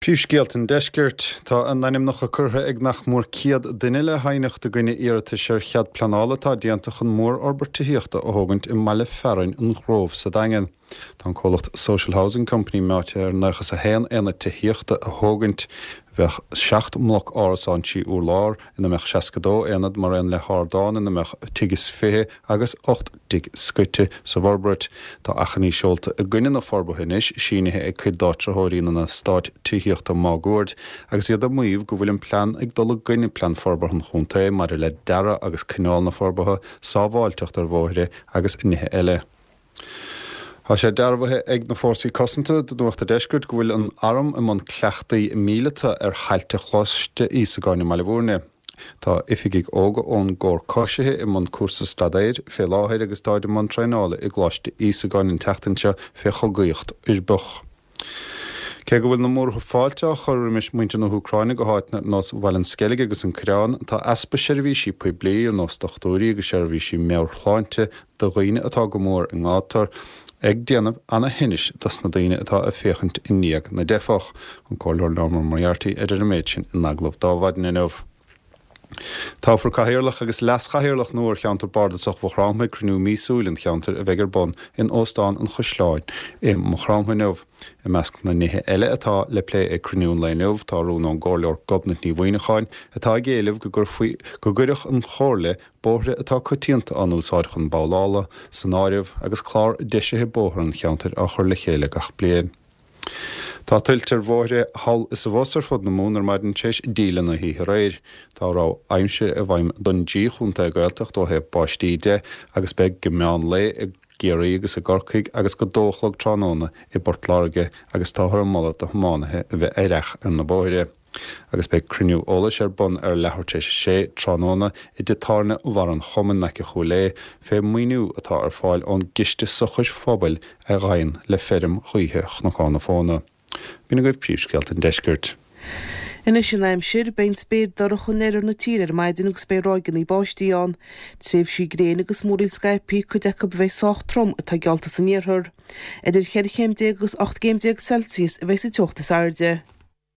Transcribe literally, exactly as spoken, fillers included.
Príomhscéalta an deiscirt tá a n-ainmneacha curtha ag nach mór céad duine le haighneacht i gcoinne iarratais ar chead pleanála atá déanta chun mórfhorbairt tithíochta a thógaint i mbaile fearainn an Ghrove sa Daingean. Tá an comhlacht Social Housing Company meáite ar nócha is a haon aonad tithíochta a thógaint. Bheadh seacht mbloc árasán trí urlár ina mbeadh seasca dó aonad mar aon le hardán ina mbeadh tigh is fiche agus ocht dtigh scoite sa bhforbairt. Tá achainí seolta i gcoinne na forbartha anois sínithe ag cuid d'áitritheoirí na n-eastát tithíochta máguaird agus iad ag maíomh go bhfuil an plean ag dul i gcoinne plean forbartha an chontae maidir le dearadh agus cineál na forbartha, sábháilteacht ar bhóithre agus nithe eile. Tá sé dearbhaithe ag na Fórsaí Cosanta do Nuacht an Deiscirt go bhfuil an arm i mbun cleachtaí míleata ar thailte Choláiste Íosagáin i mBaile Bhúirne. Tá oifigigh óga ón gcór coisithe i mbun cúrsa staidéir fé láthair agus táid i mbun traenála i gColáiste Íosagáin an tseachtain seo fé chogaíocht uirbeach. Cé go bhfuil na múrtha fáilte á chur roimis muintir na hÚcráine go háiteanna ar nós Bhaile an Sceilg agus an Coireán, tá easpa seirbhísí poiblí ar nós dochtúirí agus seirbhísí meabhairshláinte do dhaoine atá go mór i ngátar ag déanamh ana-thinnis dos na daoine atá ag féachaint i ndiaidh na dteifeach. An Comhairleoir Norma Moriarty a deir an méid sin in agallamh d'Adhmhaidin inniu. Toghfar cathaoirleach agus leas-chathaoirleach nua ar cheantar bardasach Mhaigh Chromtha ag cruinniú míosúil an cheantair a bheidh ar bun in Óstán an Chaisleáin i Maigh Chromtha inniu. I measc na nithe eile atá le plé ag cruinniú an lae inniu tá rún ón gcomhairleoir Gobnait Ní Mhuineacháin atá ag éileamh go gcuirfí go gcuirfeadh an chomhairle bóithre atá coitianta á n-úsáid chun babhlála san áireamh agus clár deisithe bóthar an cheantair á chur le chéile gach bliain. Tá tuilte ar bhóithre thall is abhus ar fud na Mumhan ar maidin tar éis díle na hoíche aréir. Tá rabhadh aimsire i bhfeidhm don dtrí chontae Gaeltacht ó thaobh báistí de agus beidh go meán lae i gCiarraí agus i gCorcaigh agus go dó a chlog tráthnóna i bPort Láirge agus táthar ag moladh do thiománaithe a bheith aireach ar na bóithre. Agus beidh cruinniú eolais ar bun ar leathuair tar éis a sé tráthnóna i dtigh tábhairne Bharr an Chumainn in aice Chúil Aodha fé mhaoiniú atá ar fáil ón gCiste Sochair Phobail a ghabhann le feirm ghaoithe Chnocán na Fóna. B'in agaibh príomhscéalta an deiscirt. Anois an aimsir, beidh an spéir dorcha in oirthear na tíre ar maidin agus beidh ráigeanna báistí ann. Tréimhsí gréine agus múraíl scaipthe, cuid acu a bheidh sách trom atá geallta san iarthar. Idir cheithre chéim déag agus ocht gcéim déag Celsius a bheidh sa teocht is airde.